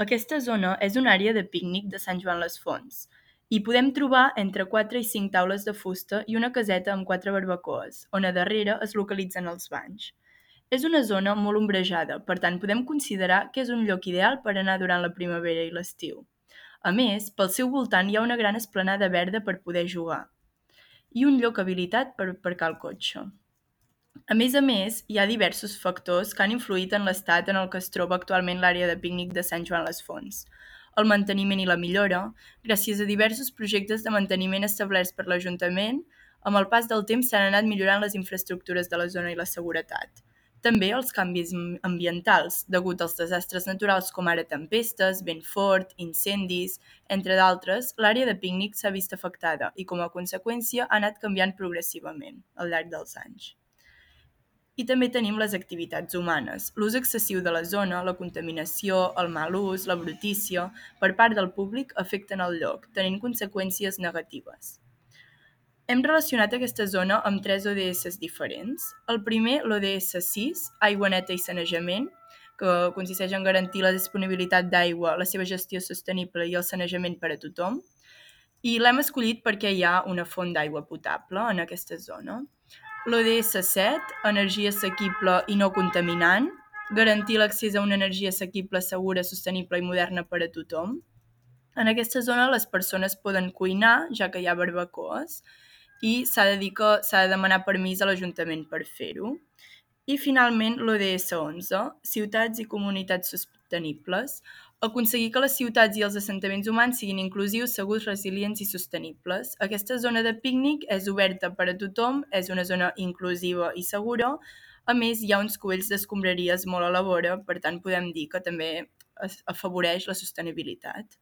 Aquesta zona és una àrea de pícnic de Sant Joan les Fonts. Hi podem trobar entre 4 i 5 taules de fusta i una caseta amb 4 barbacoes, on a darrere es localitzen els banys. És una zona molt ombrejada, per tant podem considerar que és un lloc ideal per anar durant la primavera i l'estiu. A més, pel seu voltant hi ha una gran esplanada verda per poder jugar i un lloc habilitat per aparcar el cotxe. A més, hi ha diversos factors que han influït en l'estat en el que es troba actualment l'àrea de pícnic de Sant Joan les Fonts. El manteniment i la millora, gràcies a diversos projectes de manteniment establerts per l'Ajuntament, amb el pas del temps s'han anat millorant les infraestructures de la zona i la seguretat. També els canvis ambientals, degut als desastres naturals com ara tempestes, vent fort, incendis, entre d'altres, l'àrea de pícnic s'ha vist afectada i, com a conseqüència, ha anat canviant progressivament al llarg dels anys. I també tenim les activitats humanes, l'ús excessiu de la zona, la contaminació, el mal ús, la brutícia, per part del públic afecten el lloc, tenint conseqüències negatives. Hem relacionat aquesta zona amb 3 ODS diferents. El primer, l'ODS 6, aigua neta i sanejament, que consisteix en garantir la disponibilitat d'aigua, la seva gestió sostenible i el sanejament per a tothom. I l'hem escollit perquè hi ha una font d'aigua potable en aquesta zona. L'ODS 7, energia assequible i no contaminant, garantir l'accés a una energia assequible, segura, sostenible i moderna per a tothom. En aquesta zona les persones poden cuinar, ja que hi ha barbacoes, i s'ha de demanar permís a l'Ajuntament per fer-ho. I finalment l'ODS 11, ciutats i comunitats sostenibles, aconseguir que les ciutats i els assentaments humans siguin inclusius, segurs, resilients i sostenibles. Aquesta zona de pícnic és oberta per a tothom, és una zona inclusiva i segura. A més, hi ha uns cubells d'escombraries molt a la vora, per tant podem dir que també afavoreix la sostenibilitat.